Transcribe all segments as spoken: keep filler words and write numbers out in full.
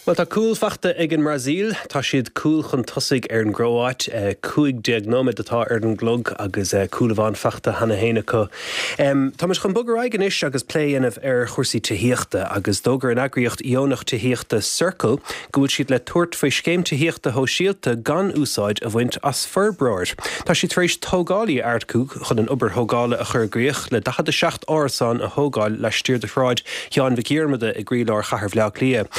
Well tá cúl faighte ag an mBrasaíl, tá siad cúl chun tosaigh ar an gCróit cúig déag nóiméad atá ar an gclog agus cúl amháin faighte cheana féin acu. Um, Tá muid chun bogadh ar aghaidh anois agus plé a dhéanamh ar chúrsaí tithíochta agus d'fhógair an eagraíocht dheonach tithíochta Circle go bhfuil siad le tabhairt faoi scéim tithíochta shóisialta gan úsáid a bhaint as forbróir. Tá siad tar éis tógálaí a earcú chun an obair thógála a chur i gcrích le daichead a seacht árasán a thógáil laistiar de Shráid Sheáin Mhic Dhiarmada i gcroílár chathair Bhaile Átha Cliath.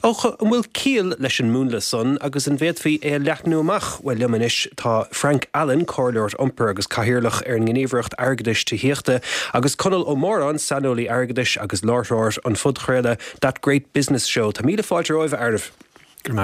Ó an bhfuil ciall leis an múnla san agus an bhféadfaí é a leathnú amach well liom anois tá Frank Allen comhairleoir iompair agus cathaoirleach ar an nGníomhaireacht Airgeadais Tithíochta agus Conall Ó Móráin saineolaí airgeadais agus láithreoir an phodchraoladh That Great Business Show Tá míle fáilte romhaibh a fhearaibh. Go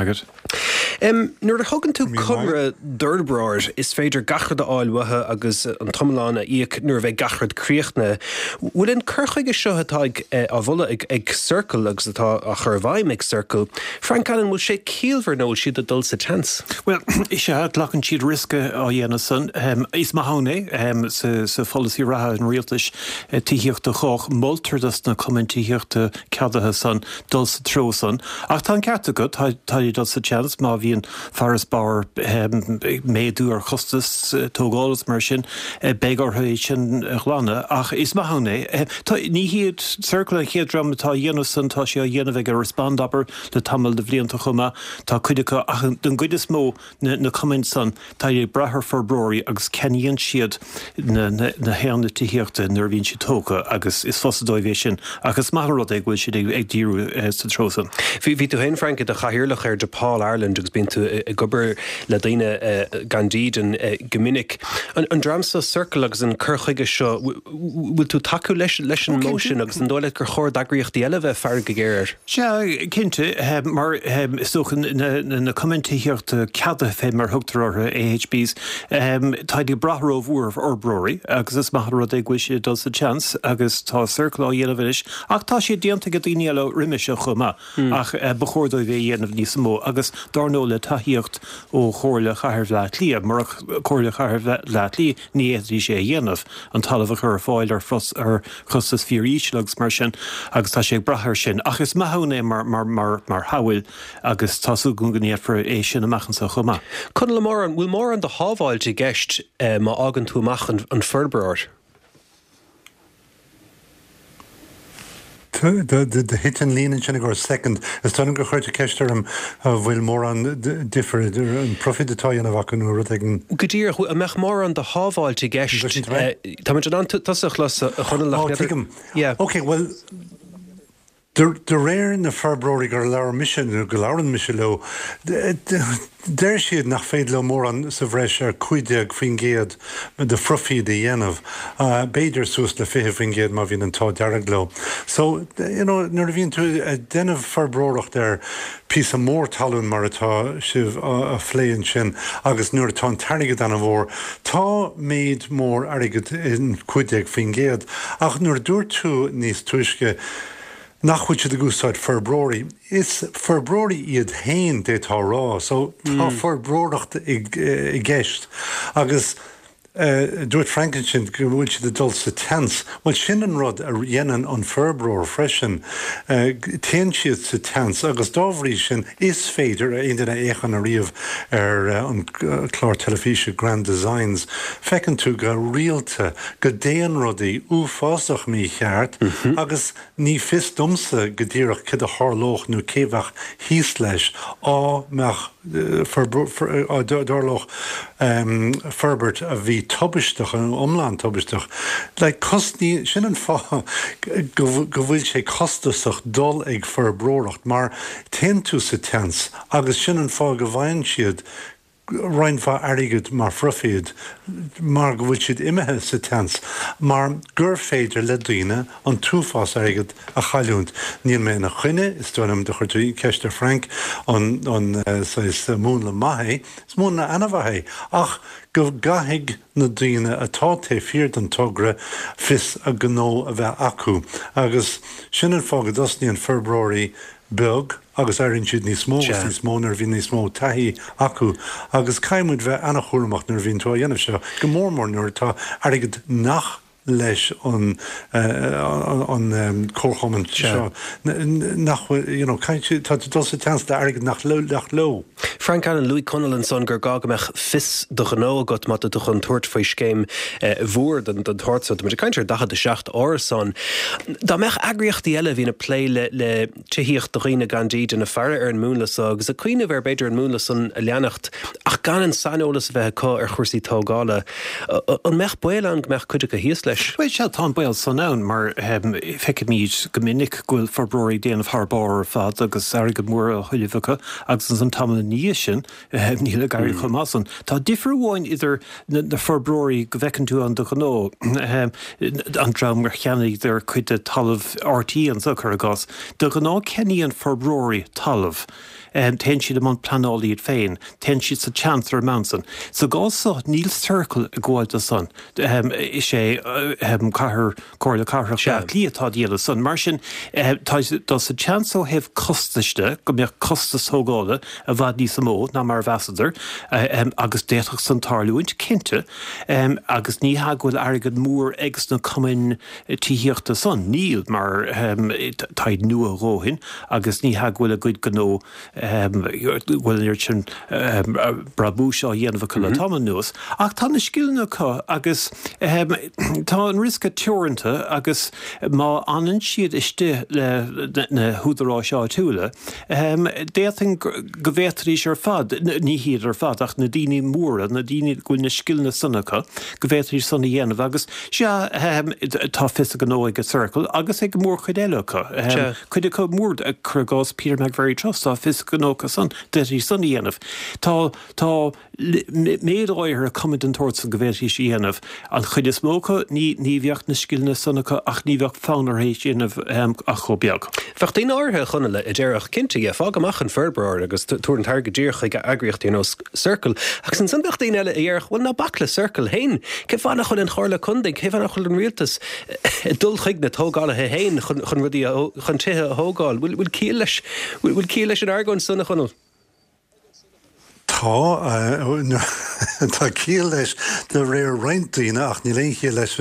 Um, nuair a thugann tú conradh d'fhorbróir is féidir gach rud a fháil uathu agus an t-iomlán a íoc nuair a bheidh gach rud críochnaithe. Bhfuil an cur chuige seo atá ag eh, á mholadh ag, ag Circle agus atá á chur i bhfeidhm ag Circle. Frank Allen bhfuil sé ciallmhar nó siad ag dul sa tseans. Well is ea glacann siad riosca á dhéanamh san um, is maith ann é um, sa, sa pholasaí reatha an rialtais uh, tithíochta chách moltar dos na cumainn tithíochta ceadaithe san dul sa treo san. Ach tá an ceart agat tá dul sa tseans má bhíonn farasbarr um, méadú ar chostas uh, tógála mar sin uh, beidh orthu é sin a ghlanadh ach is maith ann é. Uh, ní hiad Circle an chéad dream atá á dhéanamh san tá sé á dhéanamh ag Respond abair le tamall de bhlianta chomh maith tá cuid acu ach den gcuid is mó na, na cumainn san tá ag brath ar fhorbróirí agus ceannaíonn siad na, na, na haonaid tithíochta nuair a bhíonn siad tógtha agus is fusa dóibh é sin agus maith rud é go bhfuil siad ag, ag díriú uh, sa treo san. Bhí bhí tú féin Frank i do chathaoirleach ar DePaul Ireland agus bíonn tú ag obair le daoine uh, gan dídean uh, go minic. An, an dream seo Circle agus an cur chuige seo bhfuil tú tacú leis leis an modh sin agus an dóigh leat gur chóir d'eagraíochtaí eile bheith faire go géar. Sea cinnte mar is dócha na, na, na cumainn tithíochta ceadaithe fé mar thugtar orthu AHBs um, tá ag brath rómhór ar fhorbróirí agus is maith rud é go bhfuil siad dul sa tseans agus tá Circle á dhéanamh anois ach tá sé déanta ag daoine eile roimhe seo chomh maith mm. ach uh, ba chóir dóibh é dhéanamh níos mó agus dar ndóigh le tacaíocht ó Chomhairle Chathair Bhaile Átha Cliath murach Comhairle Chathair Bhaile Átha Cliath ní fhéadfaí sé a dhéanamh an talamh a chur ar fáil ar ar chostas fíoríseal agus mar sin agus tá sé ag brath air sin ach is maith ann é mar mar mar mar shamhail agus tá súil go ndéanfar é sin amach anseo chomh maith. Conall Ó Móráin bhfuil mórán de shábháilt i gceist eh, má fhágann tú amach an, an forbróir. Thit an líne sin go second is dóigh liom gur chuir tú ceist orm bhfuil mórán difear idir an profit atá á dhéanamh acu nó rud éigin. Go díreach an mbeadh mórán de shábháilt i gceist Tá an tusa chlas chun Ok, well De réir na forbróirí gur labhair mise nó go labhrann mise leo, deir siad nach féidir leo mórán sa bhreis ar cúig déag faoin gcéad de phroifid a dhéanamh, b'fhéidir suas le fiche faoin gcéad má bhíonn an t-ádh dearg leo. So you know, nuair a bhíonn tú ag déanamh forbróireacht ar píosa mór talún mar atá sibh á phlé ansin agus nuair atá an t-airgead an-mhór, tá méid mór airgid in cúig déag faoin gcéad. Ach nuair a dúirt tú níos túisce, nach bhfuil siad ag úsáid forbróirí. Is forbróirí iad féin d'fhéadfá a rá, so tá mm. forbróireacht i gceist. Agus uh, dúirt Frank ansin go bhfuil siad ag dul sa tseans. Well sin an rud a dhéanann an forbróir freisin. Uh, Téann siad sa tseans agus dá bhrí sin is féidir aon duine a fhéachann ariamh ar uh, an clár teilifíse Grand Designs. Feiceann tú go rialta go dtéann rudaí uafásach mícheart mm -hmm. agus ní fios domsa go díreach cad a tharlódh nó cé bheadh thíos leis á mbeadh dtarlódh forbairt a bhí tubaisteach an iomlán tubaisteach. Le cosní sin an fáth go bhfuil sé costasach dul ag forbróireacht mar téann tú sa tseans agus sin an fáth go bhfaigheann siad roinnt mhaith airgid mar phroifid mar go bhfuil siad imithe sa tseans, mar gur féidir le daoine an t-uafás airgid a chailliúint. Níl mé ina choinne, is dóigh liom do chuir tú ceist ar Frank an an saghas múnla maith é, is múnla an-mhaith é, ach go gcaithfidh na daoine atá taobh thiar den togra fios a ngnó a bheith acu. Agus sin an fáth go dtosnaíonn forbróirí beag agus éiríonn siad níos mó agus níos mó nuair a bhíonn níos mó taithí acu agus caithfidh muid bheith an-chúramach nuair a bhíonn tú á dhéanamh seo, go mór mór nuair atá airgead nach leis an an comharchumann seo nach you know tá dul sa tseans le airgead nach leo nach leo. Frank Allen luaigh Conall ansan gur gá go mbeadh fios do ghnó agat má tá tú chun tabhairt faoi scéim mhór den den tsórt seo muid ag caint ar daichead a seacht árasán. Dá mbeadh eagraíochtaí eile a bhíonn ag plé le le tithíocht do dhaoine gan dídean ag faire ar an múnla seo agus ag cuimhneamh ar b'fhéidir an múnla san a leanacht ach gan an saineolas a bheith acu ar chúrsaí tógála, an mbeadh baol ann go mbeadh cuid acu thíos leis? Bhuel sea, tá an baol san ann mar feicimid go minic go bhfuil forbróirí ag déanamh thar barr ar fad agus airgead mór á thuilleamh acu agus ansan tamall ina dhiaidh sin níl ag éirí chomh maith san. Tá difear amháin idir na forbróirí go bhfeiceann tú ann de ghnáth, an dream ar cheannaíodar cuid de talamh RTÉ anso, cuir i gcás. De ghnáth ceannaíonn forbróirí talamh. Téann siad i mbun pleanála iad féin, téann siad sa tseans ar an mbonn san. Sa gcás seo, níl Circle ag gabháil do san. Is é cathair, Comhairle Cathrach Bhaile Átha Cliath atá ag déanamh san. Mar sin, tá siad dul sa tseans ó thaobh costais de, go mbeadh costas tógála i bhfad níos mó ná mar a mheasadar, agus d'fhéadfadh san tarlúint, cinnte. Agus ní hea go bhfuil airgead mór ag sna cumainn tithíochta san, níl, mar táid nua a dhóthain agus ní hea go bhfuil a gcuid gnó go bhfuil an oiread sin brabúis á dhéanamh acu le tamall anuas. Ach tá na scileanna acu agus tá an riosca teoranta agus má fhanann siad istigh le na húdaráis áitiúla, d'fhéadfainn go bhféadfaidís ar fad, ní hiad ar fad ach na daoine móra, na daoine go bhfuil na scileanna san acu, go bhféadfaidís san a dhéanamh agus sea, tá fios a ngnó ag Circle agus ag mórchuid eile acu. Cuid acu mór, cuir i gcás Peter McVerry Trust, tá fios a ngnó acu san, d'fhéadfaidís san a dhéanamh. Tá, tá méid áirithe cumann den tsórt san go bhféadfaidís a dhéanamh. An chuid is mó acu, ní, ní bheadh na scileanna san acu ach ní bheadh fonn orthu é a dhéanamh ach chomh beag. Bheadh daoine áirithe, a Chonaill, a déarfadh, cinnte, yeah, fág amach an forbróir agus tabhair an t-airgead díreach chuig eagraíochtaí ar nós Circle. Agus ansan bheadh daoine eile a déarfadh, bhuel, ná bac le Circle féin. Cén fáth nach bhfuil an Chomhairle Contae, cén fáth nach bhfuil an rialtas ag dul chuig na tógálaithe féin chun, chun rudaí a, chun tithe a thógáil? Bhfuil, bhfuil ciall leis, bhfuil ciall leis an argóint san, a Chonaill? Tá, tá ciall leis de réir roinnt daoine ach níl aon chiall leis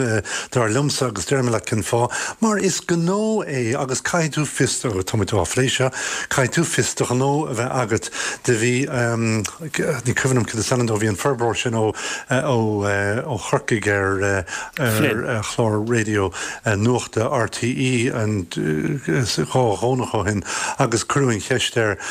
dar liomsa agus déarfaidh mé leat cén fáth. Mar is gnó é agus caithfidh tú fios, tá muid á phlé seo, caithfidh tú fios do ghnó a bheith agat. Do bhí, ní cuimhin liom cad is ainm dó, bhí an forbróir sin ó ó Chorcaigh ar ar chlár raidió nuachta RTÉ an dhá Dhomhnach ó shin agus cuireadh an cheist air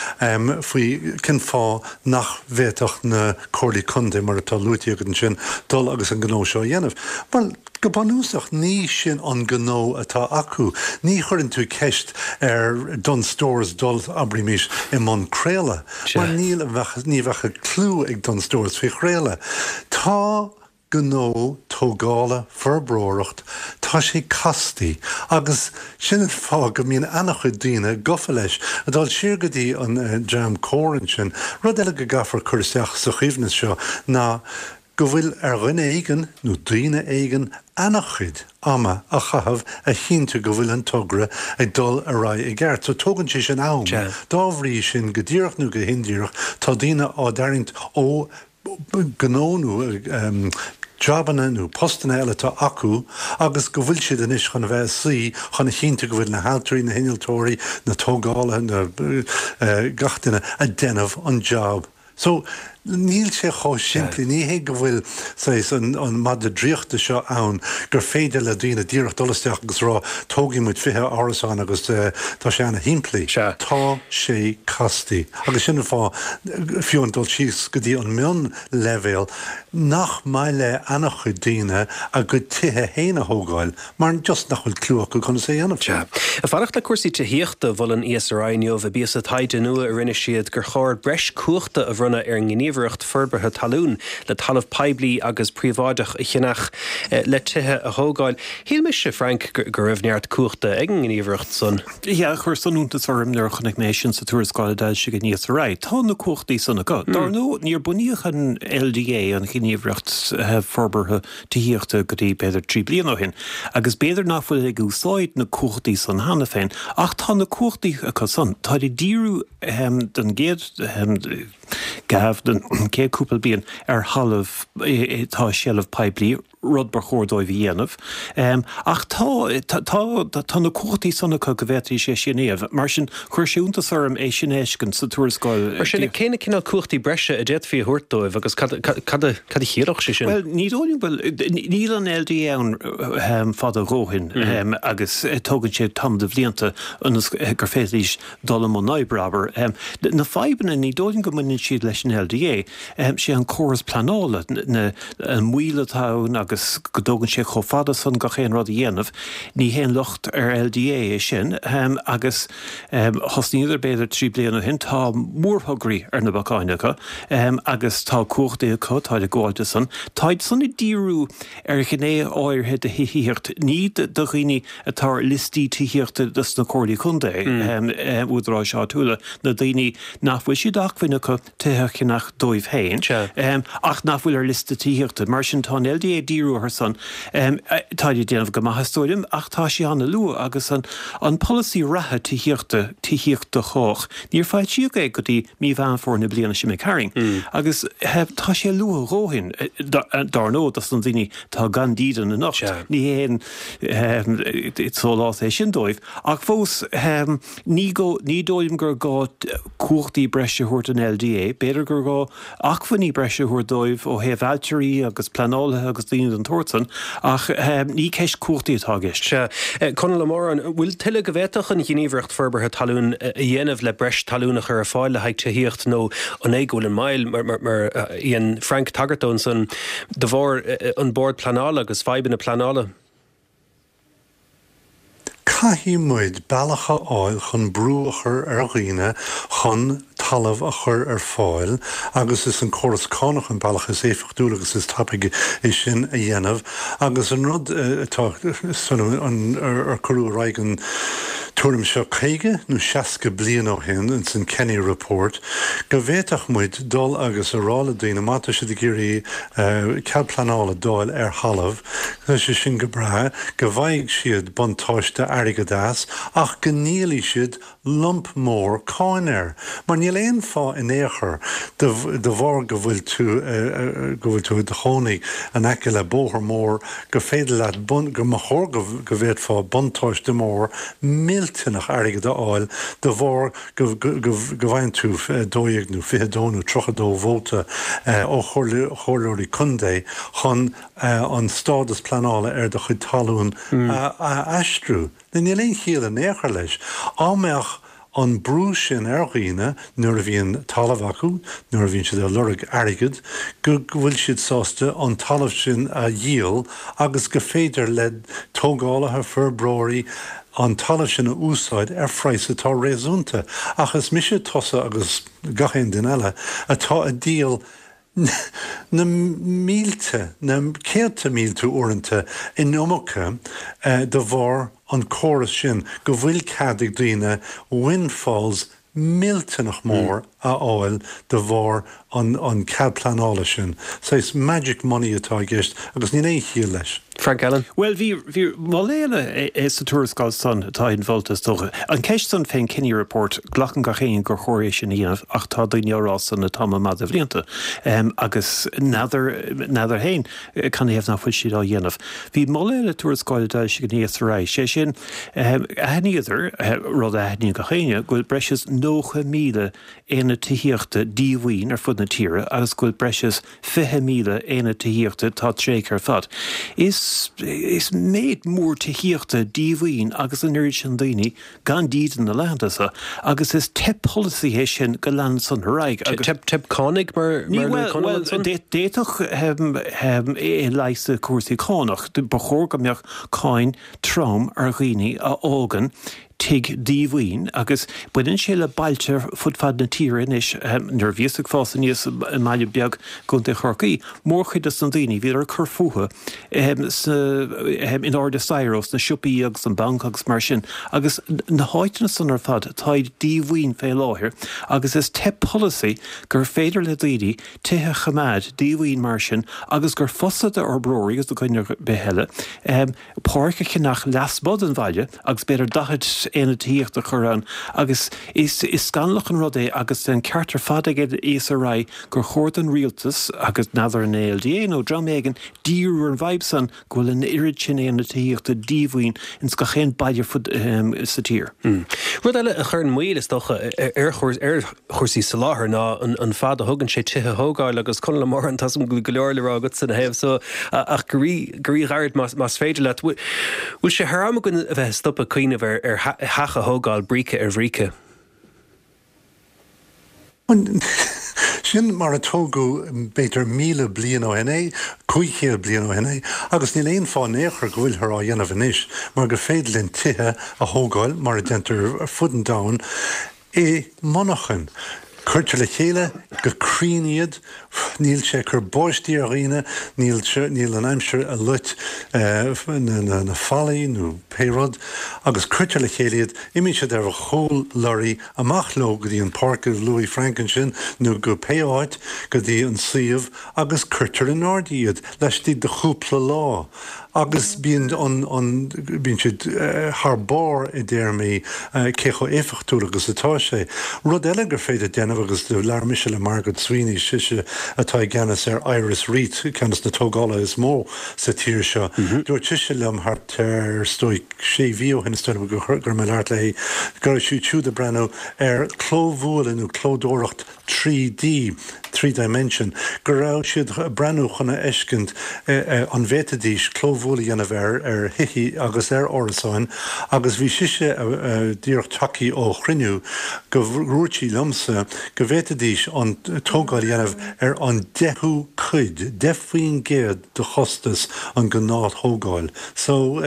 faoi cén fáth nach bhféadfadh na comhairlí contae, mar atá luaite agat ansin, dul agus an gnó seo a dhéanamh. Bhuel, go bunúsach, ní sin an gnó atá acu. Ní chuireann tú ceist ar Dunnes Stores dul, abraimis, i mbun craoladh, mar níl, ní bheadh clue ag Dunnes Stores faoi chraoladh. Tá gnó tógála, forbróireacht, tá sé castaí agus sin an fáth go mbíonn ana-chuid daoine gafa leis. Ag dul siar go dtí an dream Comhar ansin, rud eile go gcaithfear cur isteach sa choibhneas seo ná go bhfuil ar dhuine éigin nó daoine éigin ana-chuid ama a chaitheamh a chinntiú go bhfuil an togra ag dul ar aghaidh i gceart. So tógann sé sin am. Dá bhrí sin, go díreach nó go hindíreach, tá daoine á dtarraingt ó gnó nó jabanna nó postanna eile atá acu agus go bhfuil siad anois chun a bheith ag suí chun a chinntiú go bhfuil na hailtirí, na hinnealtóirí, na tógálaithe, na gach duine ag déanamh an jab. So, níl sé chomh simplí, ní hé go bhfuil saghas an an madra draíochta seo ann gur féidir le daoine díreach dul isteach agus rá tógfaidh muid fiche árasán agus tá sé ana-shimplí. Tá sé castaí agus sin an fáth, fiú an dul síos go dtí an mionleibhéal, nach maith le ana-chuid daoine a gcuid tithe féin a thógáil mar just nach bhfuil clue acu conas é a dhéanamh. Sea. Ag fanacht le cúrsaí tithíochta, mhol an ESRI inniu i bpíosa taighde nua a rinne siad gur chóir breis cumhachta a bhronnadh ar an nGníomhaireacht Forbartha Talún le talamh poiblí agus príobháideach a cheannach le tithe a thógáil. Shíl mise, Frank, go raibh neart cumhachta ag an nGníomhaireacht san. Yeah, chuir san iontas orm nuair a chonaic mé sin sa tuarascáil a d'fhoilsigh an ESRI. Tá na cumhachtaí san acu. Dar ndóigh, níor bunaíodh an LDA, an Ghníomhaireacht Forbartha Tithíochta, go dtí b'fhéidir trí bliana ó shin, agus b'fhéidir nach bhfuil ag úsáid na cumhachtaí san cheana féin, ach tá na cumhachtaí acu san. Táid ag díriú don gcéad gabh, don chéad cúpla bliain, ar thalamh atá i seilbh poiblí, rud ba chóir dóibh a dhéanamh. Ach tá, tá, tá na cumhachtaí san acu go bhféadfaidís é sin a dhéanamh. Mar sin, chuir sé iontas orm é sin a fheiscint sa tuarascáil. Mar sin, cé na cineál cumhachtaí breise a d'fhéadfaí a thabhairt dóibh agus cad, cad a, cad a chiallódh sé sin? Bhuel, ní dóigh liom, bhuel, níl an LDA ann fada a dhóthain agus tógann sé tamall de bhlianta ionas gur féidir leis dul i mbun oibre, abair. Na fadhbanna, ní dóigh liom go mbaineann siad leis an LDA. Sé an córas pleanála, na, an mhoill atá ann agus go dtógann sé chomh fada san gach aon rud a dhéanamh, ní haon locht ar LDA é sin agus thosnaíodar b'fhéidir trí bliana ó shin, tá mórthograí ar na bacáin acu agus tá cumhachtaí acu, táid ag gabháil dó san. Táid san ag díriú ar ghné áirithe de thithíocht, ní do dhaoine atá ar liostaí tithíochta dos na comhairlí contae, údaráis áitiúla, na daoine nach bhfuil sé d'acmhainn acu tithe a cheannach dóibh féin, ach nach bhfuil ar liosta tithíochta. Mar sin, tá an LDA ag díriú orthu san. Táid ag déanamh go maith, is dóigh liom, ach tá sé an-luath agus an an polasaí reatha tithíochta, Tithíocht do Chách, níor foilsíodh é go dtí mí Mheán Fómhair na bliana seo imigh tharainn. Agus tá sé luath a dhóthain, dar ndóigh, dos na daoine atá gan dídean anocht, ní haon sólás é sin dóibh. Ach fós, ní ní dóigh liom gur gá cumhachtaí breise a thabhairt don LDA. B'fhéidir gur gá acmhainní breise a thabhairt dóibh ó thaobh ailtirí agus pleanálaithe agus daoine den tsórt san, ach ní ceist cumhachtaí atá i gceist. Sea. Conall Ó Móráin, an bhfuil tuilleadh go bhféadfadh an Ghníomhaireacht Forbartha Talún a dhéanamh le breis talún a chur ar fáil le haghaidh tithíocht nó an é go bhfuil an moill, mar a dhein Frank tagairt dó ansan, de bharr an Bord Pleanála agus fadhbanna pleanála? Caithfidh muid bealach a fháil chun brú a chur ar dhaoine chun talamh a chur ar fáil agus is an córas cánach an bealach is éifeachtúla agus is tapaidh é sin a dhéanamh agus an rud atá ar cuireadh ar aghaidh an tuairim seo caoga nó seasca bliain ó shin ins an Kenny Report go bhféadfadh muid dul agus a rá le daoine má tá siad ag iarraidh cead pleanála d'fháil ar thalamh, tá sé sin go breá, go bhfaighidh siad buntáiste airgid as ach go ndíolfaidh siad lump mór cáin air. Mar níl aon fáth in aon chor, de bharr go bhfuil tú go bhfuil tú i do chónaí in aice le bóthar mór, go féidir leat bun, go mba chóir go bhféadfá buntáiste mór millteanach airgid a fháil de bharr go go bhfaigheann tú dó dhéag nó fiche dó nó tríocha dó vóta ó chomhairleoirí contae chun an stádas pleanála ar do chuid talún a aistriú. Níl aon chiall in aon chor leis. Á mbeadh an brú sin ar dhaoine nuair a bhíonn talamh acu, nuair a bhíonn siad ag lorg airgid, go bhfuil siad sásta an talamh sin a dhíol agus go féidir le tógálaithe, forbróirí, an talamh sin a úsáid ar phraghas atá réasúnta. Ach is mise, tusa agus gach aon duine eile atá ag díol na mílte, na céadta mílte uaireanta in iomarca de bharr an córas sin go bhfuil cead ag daoine windfalls millteanach mór a fháil de bharr an cead pleanála sin. Saghas magic money atá i gceist agus níl aon chiall leis. Frank Allen. Bhuel, bhí, bhí moladh eile sa tuarascáil san atá inmholta is dócha. An ceist san fén Kenny Report, glacann gach éinne gur chóir é sin a dhéanamh ach tá daoine á rá san le tamall maith de bhlianta agus n'fheadar, n'fheadar féin canathaobh nach bhfuil siad á dhéanamh. Bhí moladh eile tuarascáil a d'fhoilsigh an ESRI, sé sin, aithníodar, rud a aithníonn gach éinne, go bhfuil breis is nócha míle aonad tithíochta díomhaoin ar fud na tíre agus go bhfuil breis is fiche míle aonad tithíochta atá tréigthe ar fad. Is is méid mór tithíochta díomhaoin agus an oiread sin daoine gan dídean na laethanta seo agus is teip polasaí é sin go leanann san ar aghaidh agus. Teip teip cánach mar mar a luaigh Conall ansan? Bhuel, d'fhéadfadh é a leigheas le cúrsaí cánach. Ba chóir go mbeadh cáin trom ar dhaoine a fhágann tigh díomhaoin agus baineann sé le bailte fud fad na tíre anois. Nuair a bhíos ag fás aníos i mbaile beag i gContae Chorcaí, mórchuid dos na daoine, bhíodar ag cur fúthu sna, in airde staighre ós na siopaí agus an banc agus mar sin agus na háiteanna san ar fad, táid díomhaoin fé láthair agus is teip polasaí gur féidir le daoine tithe a choimeád díomhaoin mar sin agus gur fusa d'fhorbróirí agus do dhuine ar bith eile páirc a cheannach lasmuigh den bhaile agus b'fhéidir daichead aonad tithíochta a chur ann agus is is scannalach an rud é agus an ceart ar fad ag ESRI gur chóir don rialtas agus n'fheadar an ILDA nó dream éigin díriú ar an bhfadhb san go bhfuil an oiread sin aonad tithíochta díomhaoin ins gach aon baile fud sa tír. Rud eile a chuireann moill is dócha ar ar chúrsaí soláthair ná an fad a thugann sé tithe a thógáil agus Conall Ó Móráin tá go leor le rá agat ina thaobh so ach go rí-ghairid más féidir leat. Bhfuil sé thar am againn a bheith stopadh cuimhneamh ar ar theach a thógáil bríce ar bhríce. Sin mar a tógadh b'fhéidir míle bliain ó shin é, cúig chéad bliain ó shin é, agus níl aon fáth in aon chor go bhfuiltear á dhéanamh anois, mar gur féidir linn tithe a thógáil mar a déantar ar fud an domhain i monarchain. Cuirtear le chéile go cruinn iad, níl sé ag cur báistí ar dhaoine, níl níl an aimsir ag loit na na fallaí nó pé rud, agus cuirtear le chéile iad, imíonn siad ar chúl lorraí amach leo go dtí an páirc a luaigh Frank ansin nó go pé áit, go dtí an suíomh agus cuirtear in airde iad laistigh de chúpla lá. agus bíonn an an bíonn siad thar barr i dtéarmaí cé chomh éifeachtúil agus atá sé. Rud eile gur féidir déanamh agus do labhair mise le Margaret Sweeney, sise atá i gceannas ar Iris REIT, ceann des na tógálaithe is mó sa tír seo, dúirt sise liom thart ar is dóigh sé mhí ó shin is dóigh liom go raibh mé ag labhairt léi, go raibh siad siúd ag breathnú ar clóbhualadh nó clódóireacht trí D, three dimension, go raibh siad ag breathnú chun a fheiscint an bhféadfaidís clóbhualadh a dhéanamh ar ar thithe agus ar árasáin agus bhí sise díreach tagtha ó chruinniú go ndúirt sí liomsa go bhféadfaidís an tógáil a dhéanamh ar an deichiú cuid, deich faoin gcéad de chostas an ghnáth-thógáil. So,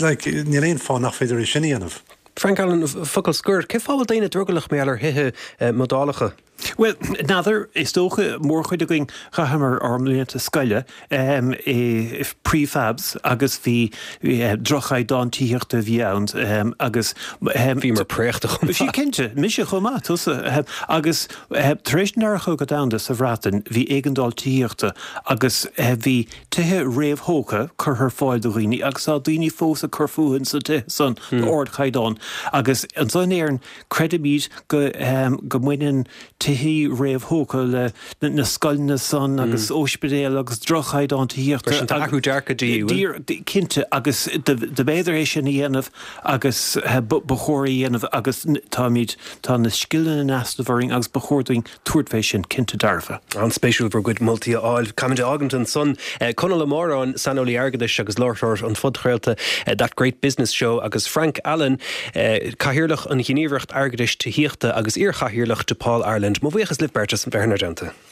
like, níl aon fáth nach féidir é sin a dhéanamh. Frank Allen, focal scoir, cén fáth a bhfuil daoine drogallach mar gheall ar thithe modálacha? Bhuel, n'fheadar, is dócha, mórchuid againn chaitheamar ár mblianta scoile i prefabs agus bhí droch-chaighdeán tithíochta a bhí ann agus. Bhíomar préachta chomh maith. Bhí, cinnte, mise chomh maith, tusa. Agus tar éis an Dara Cogadh Domhanda sa Bhreatain bhí éigeandáil tithíochta agus bhí tithe réamhthógtha curtha ar fáil do dhaoine agus tá daoine fós ag cur fúthu ins na tithe san d'ardchaighdeán agus anso in Éirinn creidimid go go mbaineann tithe réamhthógtha le na scoileanna san agus ospidéil agus droch-chaighdeán tithíochta. Mar sin tá athrú dearcaidh de dhíth. Cinnte agus do b'fhéidir é sin a dhéanamh agus ba chóir é a dhéanamh agus táimid tá na scileanna in easnamh orainn agus ba chóir dúinn tabhairt fé sin, cinnte dearfa. An-spéisiúil bhur gcuid moltaí a fháil. Caithfimid a fhágaint ansan. Conall Ó Móráin, saineolaí airgeadais agus láithreoir an phodchraolta That Great Business Show agus Frank Allen, Cathaoirleach an Ghníomhaireacht Airgeadais Tithíochta agus iar-Chathaoirleach DePaul Ireland. Mo bhuíochas libh beirt as bheith inár dteannta.